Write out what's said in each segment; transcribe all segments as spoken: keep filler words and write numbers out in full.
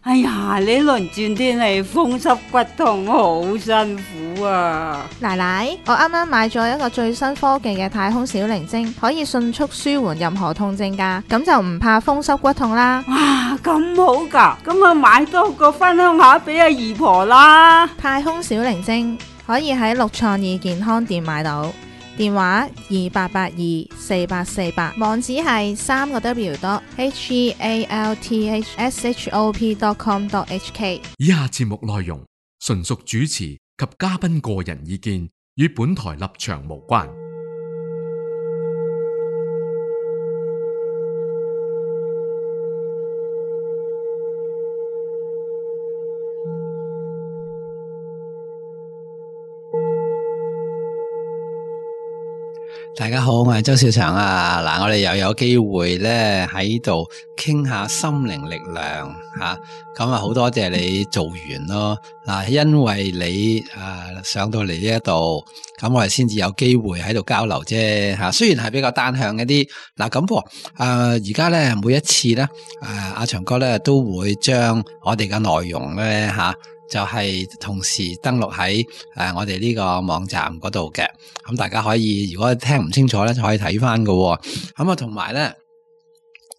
哎呀，呢輪轉天氣風濕骨痛，好辛苦啊！奶奶，我啱啱買咗一個最新科技嘅太空小靈精，可以迅速舒緩任何痛症噶，咁就唔怕風濕骨痛啦。哇，咁好噶，咁啊買多個分享下俾阿姨婆啦。太空小靈精可以喺六創意健康店買到，電話二八八二四八四八，網址係三個 W dot H E A L T H S H O P dot com dot H K。以下節目內容純屬主持及嘉賓個人意見，與本台立場無關。大家好，我係周兆祥啊！嗱，我哋又有機會咧喺度傾下心靈力量吓，咁啊好多謝你做完咯嗱，因為你誒、呃、上到嚟呢一度，咁我哋先至有機會喺度交流啫吓。雖然係比較單向一啲嗱，咁噃誒而家咧每一次咧誒阿祥哥咧都會將我哋嘅內容咧吓。啊就係同時登錄喺誒我哋呢個網站嗰度嘅，咁大家可以如果聽唔清楚咧，就可以睇翻㗎。咁啊，同埋咧，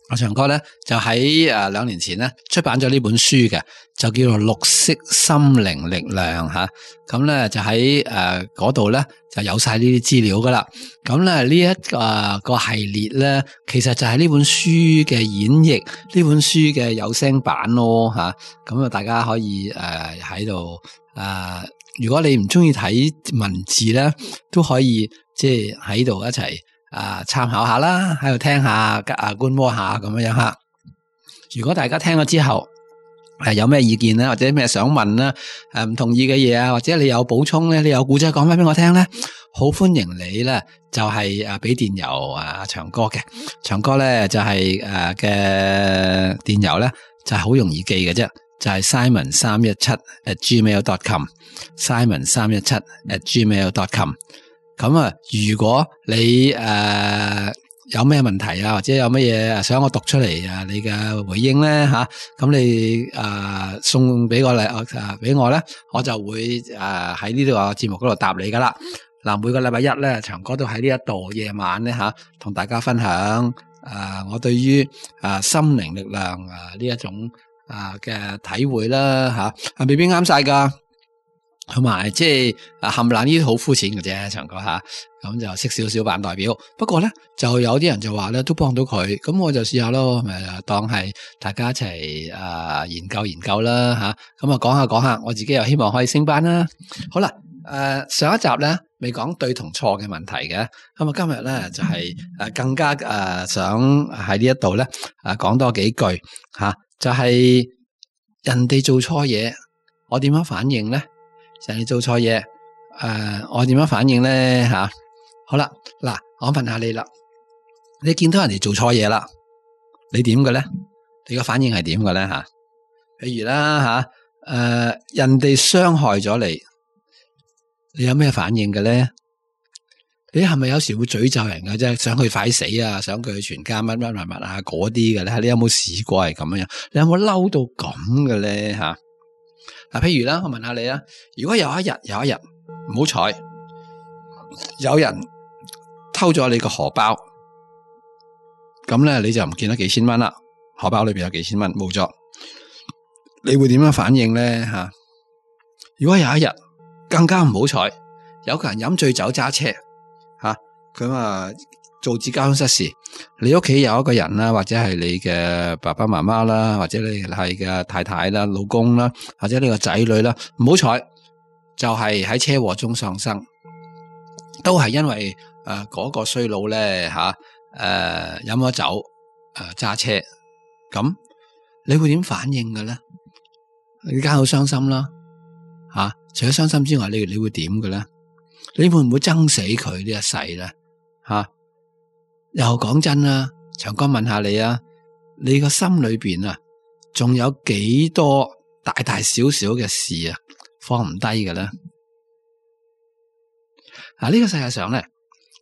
阿祥哥咧就喺誒兩年前咧出版咗呢本書嘅，就叫做《綠色心靈力量》吓。咁咧就喺誒嗰度咧就有晒呢啲資料噶啦。咁咧呢一個、呃、個系列咧，其實就係呢本書嘅演繹，呢本書嘅有聲版咯吓。咁啊，大家可以誒喺度誒，如果你唔中意睇文字咧，都可以即係喺度一齊啊參考下啦，喺度聽下啊觀摩下咁樣樣吓。如果大家聽咗之後，係有咩意見咧，或者咩想問咧，誒唔同意嘅嘢啊，或者你有補充咧，你有故仔講翻俾我聽咧，好歡迎你咧，就係誒俾電郵啊祥哥嘅，祥哥咧就係誒嘅電郵咧就係好容易記嘅啫，就係 simon 三一七 at gmail dot com，simon 三一七 at gmail dot com。咁啊，如果你誒。呃有咩問題啊，或者有乜嘢想我讀出嚟啊？你嘅回應咧吓，咁你誒、呃、送俾我嚟誒俾我咧，我就會誒喺呢度個節目嗰度答你噶啦。嗱，每個禮拜一咧，祥哥都喺呢一度夜晚咧吓，同、啊、大家分享誒、呃、我對於誒、呃、心靈力量啊呢一種誒嘅、呃、體會啦吓，啊未必啱晒噶。同埋即係啊，冚唪唥呢啲好膚淺嘅啫，祥哥吓，咁就識少少扮代表。不過咧，就有啲人就話咧，都幫到佢，咁我就試下咯，咪當係大家一齊啊、呃、研究研究啦吓。咁啊講下講下，我自己又希望可以升班啦。好啦，誒、呃、上一集咧未講對同錯嘅問題嘅，咁啊今日咧就係、是、誒更加誒、呃、想喺呢一度咧誒講多幾句吓、啊，就係、是、人哋做錯嘢，我點樣反應咧？人哋做錯嘢，誒、呃，我點樣反應咧？吓、啊，好啦，嗱，我問下你啦，你見到人哋做錯嘢啦，你點嘅咧？你個反應係點嘅咧？吓、啊，譬如啦，吓、啊，誒、呃，人哋傷害咗你，你有咩反應嘅咧？你係咪有時會詛咒人嘅啫？想佢快死啊，想佢全家乜乜乜乜啊嗰啲嘅咧？你有冇試過係咁樣？你有冇嬲到咁嘅咧？吓、啊？嗱，譬如啦，我問下你啦，如果有一日有一日唔好彩，有人偷咗你個荷包，咁咧你就唔見得幾千蚊啦，荷包裏邊有幾千蚊冇咗，你會點樣反應咧？吓，如果有一日更加唔好彩，有個人飲醉酒揸車，吓咁啊導致交通失事，你屋企有一個人啦，或者係你嘅爸爸媽媽啦，或者你係嘅太太啦、老公啦，或者你個仔女啦，唔好彩就係喺車禍中喪生，都係因為誒嗰、呃那個衰佬咧吓誒飲咗酒誒揸、呃、車，咁你會點反應嘅咧？你梗係好傷心啦，吓、啊、除咗傷心之外，你你會點嘅咧？你會唔會憎死佢呢一世咧？吓、啊？又講真啦，祥哥問下你啊，你個心裏邊啊，仲有幾多大大小小嘅事啊，放唔低嘅咧？嗱，呢個世界上咧，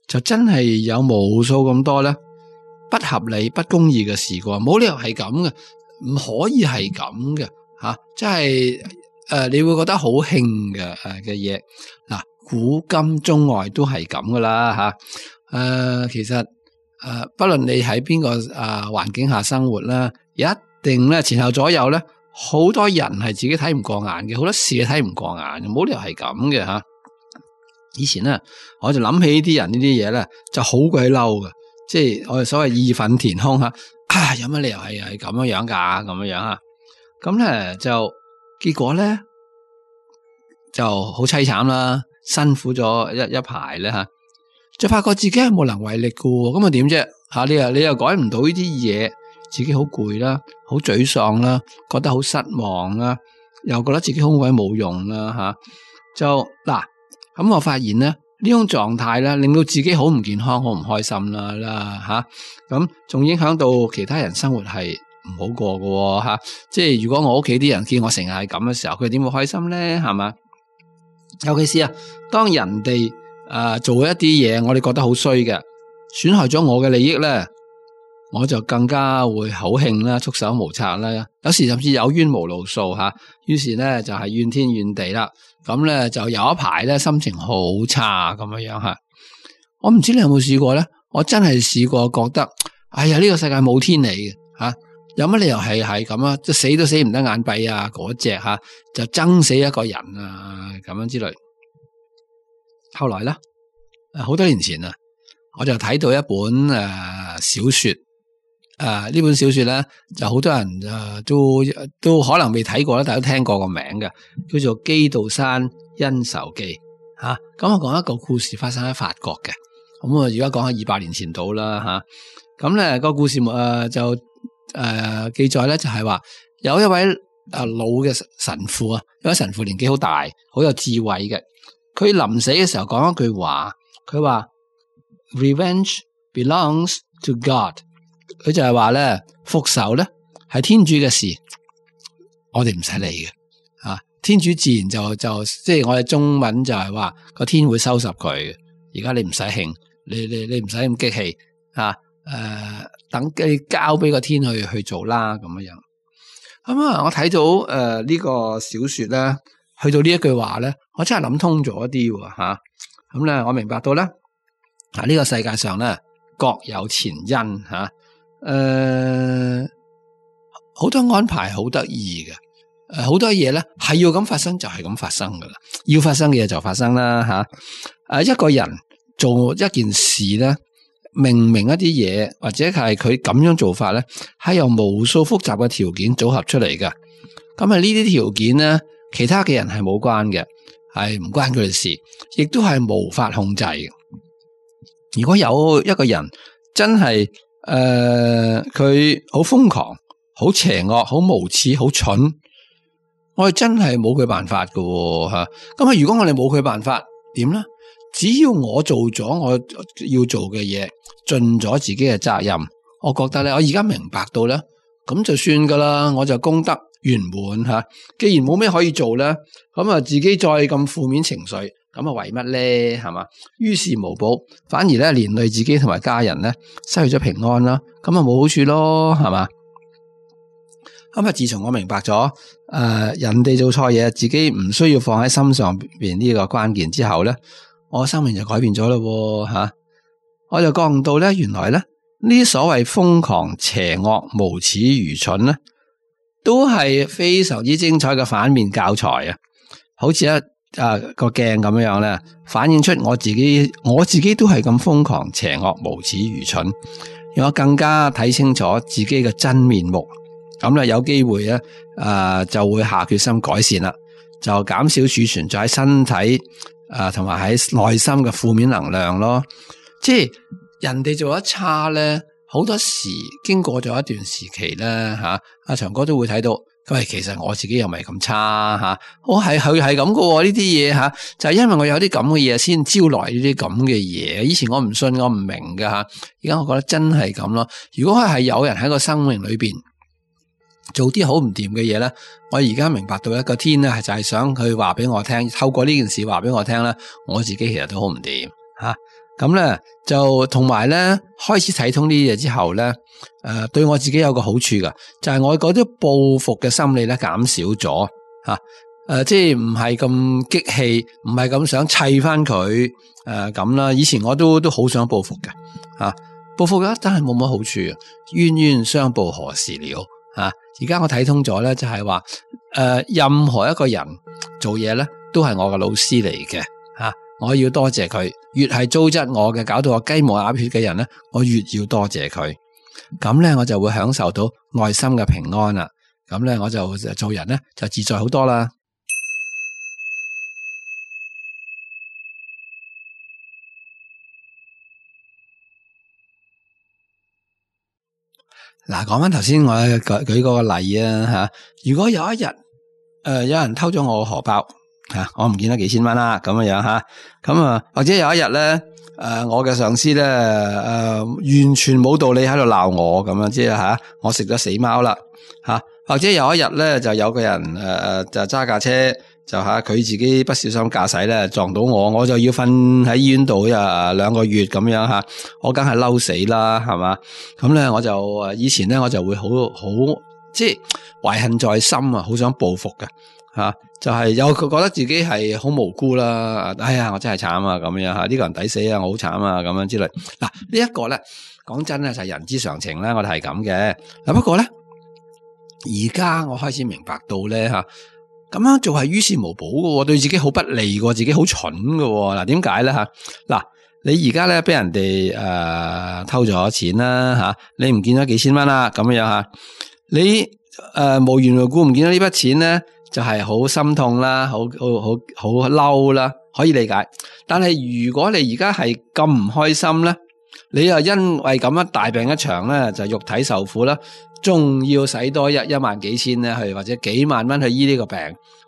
就真係有無數咁多咧不合理、不公義嘅事啩，冇理由係咁嘅，唔可以係咁嘅吓，即係誒你會覺得好興嘅誒嘅嘢。嗱，古今中外都係咁噶啦吓。誒、呃，其實誒、呃，不論你喺邊個誒環境下生活啦，一定咧前後左右咧，好多人係自己睇唔過眼嘅，好多事睇唔過眼，冇理由係咁嘅吓。以前咧，我就諗起呢啲人呢啲嘢咧，就好鬼嬲嘅，即係我哋所謂義憤填膺吓，啊有乜理由係係咁樣樣噶，咁樣樣吓，咁咧就結果咧就好淒慘啦，辛苦咗一一排咧吓，就發覺自己係無能為力嘅，咁啊點啫吓？你又你又改唔到呢啲嘢，自己好攰啦，好沮喪啦，覺得好失望啦，又覺得自己好鬼冇用啦吓，就嗱。咁我發現咧，呢種狀態咧，令到自己好唔健康，好唔開心啦啦吓，咁仲影響到其他人生活係唔好過嘅吓。即係如果我屋企啲人見我成日係咁嘅時候，佢點會開心咧？係嘛？尤其是啊，當人哋誒、呃、做一啲嘢，我哋覺得好衰嘅，損害咗我嘅利益咧，我就更加會好興啦，束手無策啦。有時甚至有冤無路訴吓，於是咧就係怨天怨地啦。咁咧就有一排咧心情好差咁樣樣吓，我唔知你有冇試過咧？我真係試過覺得，哎呀呢個世界冇天理嘅吓，有乜理由係係咁啊？即死都死唔得眼閉啊！嗰隻吓就憎死一個人啊咁樣之類。後來咧，好多年前啊，我就睇到一本誒小說。誒，呢、呃、本小說咧就好多人誒、呃、都都可能未睇過啦，但係都聽過個名嘅，叫做《基道山恩仇記》吓。咁我講一個故事發生喺法國嘅，咁我而家講下二百年前到啦吓。咁、啊、咧、那個故事誒、呃、就誒、呃、記載咧就係話有一位誒老嘅神父啊，有位神父年紀好大，好有智慧嘅。佢臨死嘅時候講一句話，佢話 Revenge belongs to God。佢就係話咧，復仇咧係天主嘅事，我哋唔使理嘅啊。天主自然就就即係我哋中文就係話個天會收拾佢嘅。而家你唔使興，你你你唔使咁激氣啊。誒、呃，等你交俾個天去去做啦，咁樣樣。咁啊，我睇到誒呢、呃這個小說咧，去到呢一句話咧，我真係諗通咗啲喎吓。咁、啊、咧，我明白到咧，啊呢、這個世界上咧各有前因吓。啊誒，好、呃、多安排好得意嘅，誒、呃，好多嘢咧係要咁發生就係咁發生噶啦，要發生嘅嘢就發生啦吓。誒、啊，一個人做一件事咧，明明一啲嘢或者係佢咁樣做法咧，係由無數複雜嘅條件組合出嚟嘅。咁啊，呢啲條件咧，其他嘅人係冇關嘅，係唔關佢哋事，亦都係無法控制嘅。如果有一個人真係，誒，佢好瘋狂、好邪惡、好無恥、好蠢，我哋真係冇佢辦法噶吓。咁啊，如果我哋冇佢辦法，點咧？只要我做咗我要做嘅嘢，盡咗自己嘅責任，我覺得咧，我而家明白到咧，咁就算噶啦，我就功德圓滿吓。既然冇咩可以做咧，咁啊，自己再咁負面情緒。咁啊，為乜咧？係嘛？於事無補，反而咧連累自己同埋家人咧，失去咗平安啦。咁啊，冇好處咯，係嘛？咁啊，自從我明白咗，誒、呃，人哋做錯嘢，自己唔需要放喺心上邊呢個關鍵之後咧，我生命就改變咗咯，吓、啊！我就覺悟到咧，原來咧呢啲所謂瘋狂、邪惡、無恥、愚蠢咧，都係非常之精彩嘅反面教材啊！好似一啊個鏡咁樣咧，反映出我自己，我自己都係咁瘋狂、邪惡、無恥、愚蠢，讓我更加睇清楚自己嘅真面目。咁咧有機會咧，誒、呃、就會下決心改善啦，就減少儲存在喺身體誒同埋喺內心嘅負面能量咯。即係人哋做得差咧，好多時經過咗一段時期咧，吓、啊、阿長哥都會睇到。喂，其實我自己又唔係咁差吓，我係佢係咁噶呢啲嘢吓，就係因為我有啲咁嘅嘢先招來呢啲咁嘅嘢。以前我唔信，我唔明噶吓，而家我覺得真係咁咯。如果係有人喺個生命裏邊做啲好唔掂嘅嘢咧，我而家明白到一個天咧，係就係想佢話俾我聽，透過呢件事話俾我聽咧，我自己其實都好唔掂吓。咁咧就同埋咧開始睇通呢啲嘢之後咧，誒、呃、對我自己有個好處噶，就係、是、我嗰啲報復嘅心理咧減少咗吓，誒、呃、即係唔係咁激氣，唔係咁想砌翻佢誒咁啦。以前我都都好想報復嘅吓，報復嘅真係冇乜好處，冤冤相報何時了吓。而家我睇通咗咧，就係話誒任何一個人做嘢咧都係我嘅老師嚟嘅吓。我要多謝佢，越係糟質我嘅，搞到我雞毛鴨血嘅人咧，我越要多謝佢。咁咧，我就會享受到內心嘅平安啦。咁咧，我就做人咧就自在好多啦。嗱，講翻頭先我舉舉嗰個例啊吓，如果有一日誒、呃、有人偷咗我個荷包。吓，我唔見得幾千蚊啦，咁樣樣吓，咁啊，或者有一日咧，誒、呃，我嘅上司咧，誒、呃，完全冇道理喺度鬧我咁樣，即係吓，我食咗死貓啦，吓，或者有一日咧，就有個人誒誒、呃，就揸架車，就吓佢自己不小心駕駛咧，撞到我，我就要瞓喺醫院度啊兩個月咁樣吓，我梗係嬲死啦，係嘛，咁咧我就誒以前咧我就會好好即係懷恨在心啊，好想報復嘅。吓、啊，就係、是、有佢覺得自己係好無辜啦，哎呀，我真係慘啊，咁樣吓，呢、這個人抵死啊，我好慘啊，咁樣之類。嗱、啊，這個、呢一個咧，講真咧就係、是、人之常情啦，我哋係咁嘅。嗱，不過咧，而家我開始明白到咧吓，咁樣做係於事無補嘅，對自己好不利嘅，自己好蠢嘅。嗱，點解咧吓？嗱、啊，你而家咧俾人哋誒、呃、偷咗錢啦吓、啊，你唔見咗幾千蚊啦，咁樣吓，你誒、呃、無緣無故唔見咗呢筆錢咧？就係好心痛啦，好好好好嬲啦，可以理解。但係如果你而家係咁唔開心咧，你又因為咁樣大病一場咧，就肉體受苦啦，仲要使多一一萬幾千咧去，或者幾萬蚊去醫呢個病。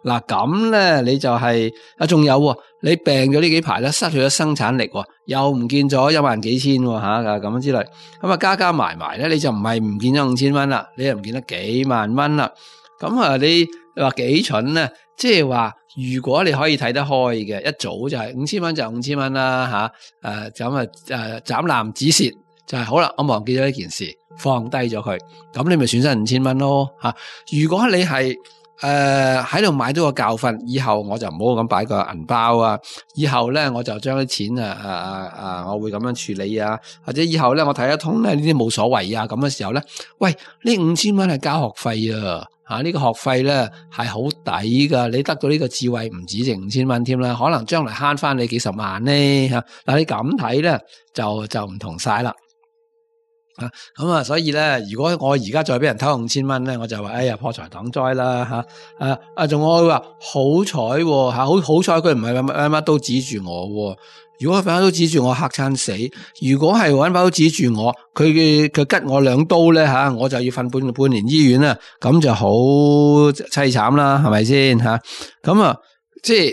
嗱咁咧，你就係、是、啊，仲有你病咗呢幾排咧，失去咗生產力，又唔見咗一萬幾千吓咁樣之類。咁啊加加埋埋咧，你就唔係唔見咗五千蚊啦，你又唔見得幾萬蚊啦。咁啊，你話幾蠢咧？即係話，如果你可以睇得開嘅，一早就係五千蚊就五千蚊啦吓。誒咁啊誒斬纜止蝕就係、是、好啦。我忘記咗呢件事，放低咗佢，咁你咪損失五千蚊咯吓。如果你係誒喺度買到個教訓，以後我就唔好咁擺個銀包啊。以後咧我就將啲錢啊啊啊啊，我會咁樣處理啊。或者以後咧我睇得通咧，呢啲冇所謂啊。咁嘅時候咧，喂，呢五千蚊係交學費啊。吓、啊，呢、這個學費咧係好抵噶，你得到呢個智慧唔止值五千蚊添啦，可能將來慳翻你幾十萬咧吓。嗱、啊，你咁睇咧就就唔同晒啦。啊，咁啊，所以咧，如果我而家再俾人偷五千蚊咧，我就話哎呀破財擋災啦吓。啊啊，仲我會話好彩吓，好好彩佢唔係乜乜都指住我、啊。如果佢把刀指住我嚇餐死，如果係揾把刀指住我，佢嘅佢吉我兩刀咧吓，我就要瞓半半年醫院啦，咁就好凄慘啦，係咪先吓？咁啊，即係誒，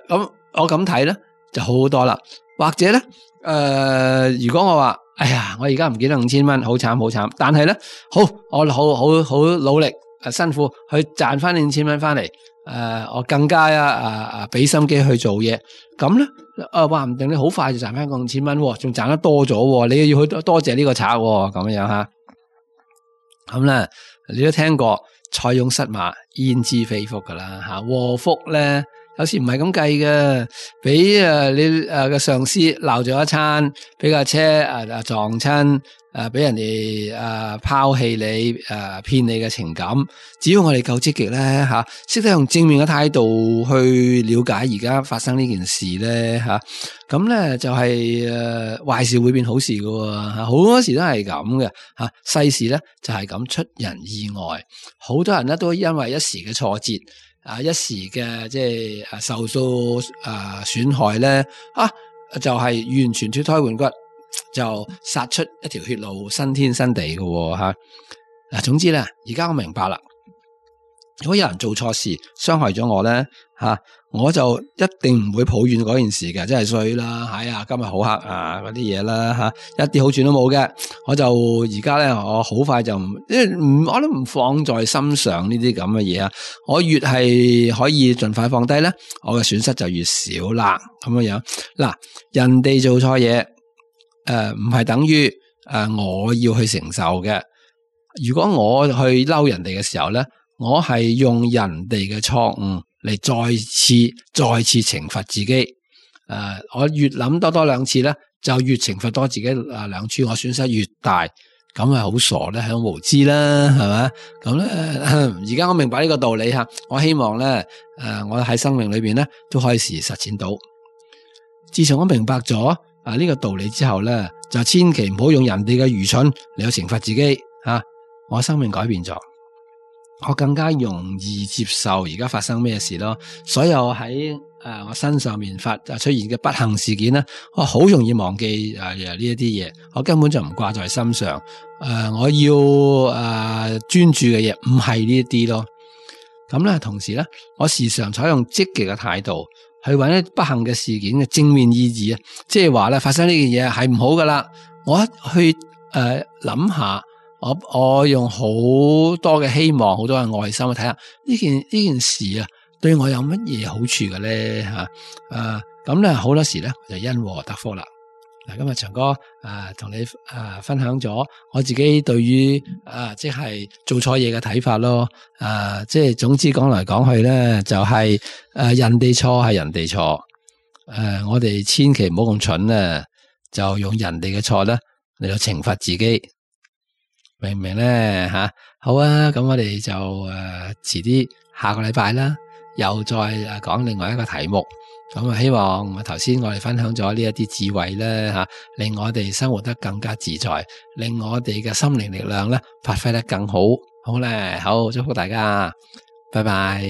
咁、呃、我咁睇咧就好好多啦。或者咧誒、呃，如果我話哎呀，我而家唔記得五千蚊，好慘好慘，但係咧好，我好好好努力誒，辛苦去賺翻五千蚊翻嚟。誒、呃，我更加啊啊啊，俾心機去做嘢，咁咧，誒，話唔定你好快就賺翻個五千蚊，仲賺得多咗，你要去多謝呢個賊，咁樣吓。咁咧，你都聽過塞翁失馬，焉知非福噶啦吓，禍福咧有時唔係咁計嘅，俾誒你誒嘅上司鬧咗一餐，俾架車誒誒撞親。誒，俾、呃、人哋誒拋棄你，誒、呃、騙你嘅情感，只要我哋夠積極咧吓，識、啊、得用正面嘅態度去了解而家發生呢件事咧吓，咁、啊、咧就係誒壞事會變好事噶吓，好多時都係咁嘅吓，世事咧就係、是、咁出人意外，好多人咧都因為一時嘅挫折啊，一時嘅即係誒受到誒損害咧啊，就係、是、完全脫胎換骨。就殺出一條血路，新天新地嘅吓。嗱，總之咧，而家我明白啦，如果有人做錯事傷害咗我咧吓、啊，我就一定唔會抱怨嗰件事嘅，真係衰啦，哎呀今日好黑啊嗰啲嘢啦吓，一啲好處都冇嘅。我就而家咧，我好快就唔，因為唔我都唔放在心上呢啲咁嘅嘢啊。我越係可以盡快放低咧，我嘅損失就越少啦。咁樣樣嗱，人哋做錯嘢，誒唔係等於誒、呃、我要去承受嘅。如果我去嬲人哋嘅時候咧，我係用人哋嘅錯誤嚟再次再次懲罰自己。誒、呃，我越諗多多兩次咧，就越懲罰多自己啊兩次，我損失越大，咁係好傻咧，係好無知啦，係咪？咁咧，而家我明白呢個道理吓，我希望咧，誒、呃，我喺生命裏邊咧都可以時實踐到。自從我明白咗啊呢個道理之後咧，就千祈唔好用人哋嘅愚蠢嚟去懲罰自己吓、啊。我生命改變咗。我更加容易接受而家發生咩事咯，所有喺誒、呃、我身上面發出現嘅不幸事件咧，我好容易忘記誒呢一啲嘢，我根本就唔掛在心上。誒、呃，我要誒專、呃、注嘅嘢唔係呢一啲咯。咁咧，同時咧，我時常採用積極嘅態度去揾一不幸嘅事件嘅正面意義啊，即係話咧發生呢件嘢係唔好噶啦，我一去誒諗、呃、下。我我用好多嘅希望，好多嘅愛心去睇下呢件呢件事啊，對我有乜嘢好處嘅咧吓？誒咁咧好多時咧就因禍得福啦。嗱，今日長哥誒同、呃、你誒、呃、分享咗我自己對於誒、呃、即係做錯嘢嘅睇法咯。誒、呃、即係總之講嚟講去咧，就係、是、誒、呃、人哋錯係人哋錯。誒、呃、我哋千祈唔好咁蠢咧，就用人哋嘅錯咧嚟到懲罰自己。明唔明咧吓？好啊，咁我哋就誒遲啲下個禮拜啦，又再誒講另外一個題目。咁啊，希望我頭先我哋分享咗呢一啲智慧咧吓，令我哋生活得更加自在，令我哋嘅心靈力量咧發揮得更好。好咧，好，祝福大家，拜拜。